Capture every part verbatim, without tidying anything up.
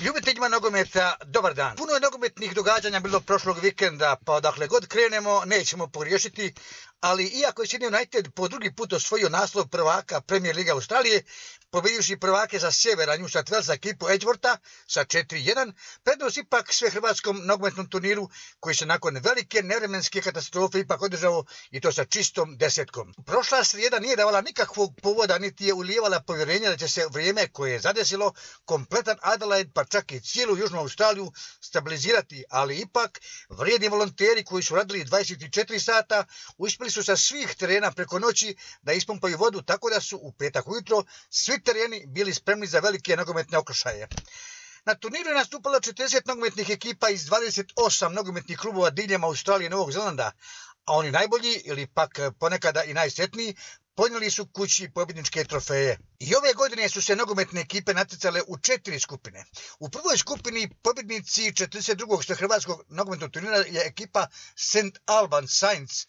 Ljubiteljima nogometa, dobar dan. Puno je nogometnih događanja bilo prošlog vikenda, pa odakle god krenemo nećemo pogriješiti, ali iako je Sydney United po drugi put osvojio naslov prvaka Premier Lige Australije, pobjedivši prvake za sjevera New South Walesa ekipu Edgewortha sa četiri jedan, prednost ipak sve hrvatskom nogometnom turniru koji se nakon velike nevremenske katastrofe ipak održao i to sa čistom desetkom. Prošla srijeda nije davala nikakvog povoda niti je ulijevala povjerenja da će se vrijeme koje je zadesilo kompletan Adelaide pa čak i cijelu Južnu Australiju stabilizirati, ali ipak vrijedni volonteri koji su radili dvadeset četiri sata uspjeli su sa svih terena preko noći da ispumpaju vodu tako da su u petak ujutro svi tereni bili spremni za velike nogometne okršaje. Na turniru je nastupalo četrdeset nogometnih ekipa iz dvadeset osam nogometnih klubova diljem Australije i Novog Zelanda, a oni najbolji ili pak ponekada i najsretniji ponijeli su kući pobjedničke trofeje. I ove godine su se nogometne ekipe natjecale u četiri skupine. U prvoj skupini pobjednici četrdeset drugog hrvatskog nogometnog turnira je ekipa Saint Albans Saints,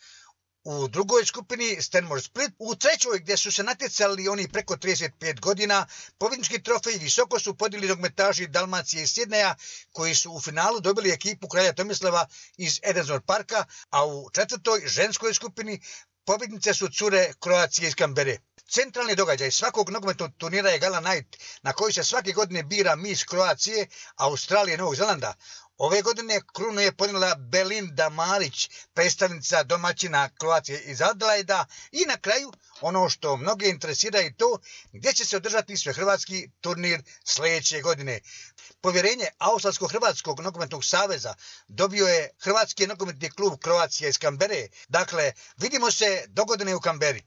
u drugoj skupini Stanmore Split, u trećoj gdje su se natjecali oni preko trideset pet godina, pobjednički trofej visoko su podijeli nogometaši Dalmacije i Sidneja koji su u finalu dobili ekipu kralja Tomislava iz Edensor Parka, a u četvrtoj ženskoj skupini pobjednice su cure Kroacije iz Kambere. Centralni događaj svakog nogometnog turnira je Gala Night na koji se svake godine bira Miss Kroacije, Australije i Novog Zelanda. Ove godine krunu je ponijela Belinda Marić, predstavnica domaćina Kroacije iz Adelaida, i na kraju ono što mnoge interesira i to gdje će se održati svehrvatski turnir sljedeće godine. Povjerenje Australsko-Hrvatskog nogometnog saveza dobio je Hrvatski nogometni klub Kroacija iz Kambere. Dakle, vidimo se dogodine u Kamberi.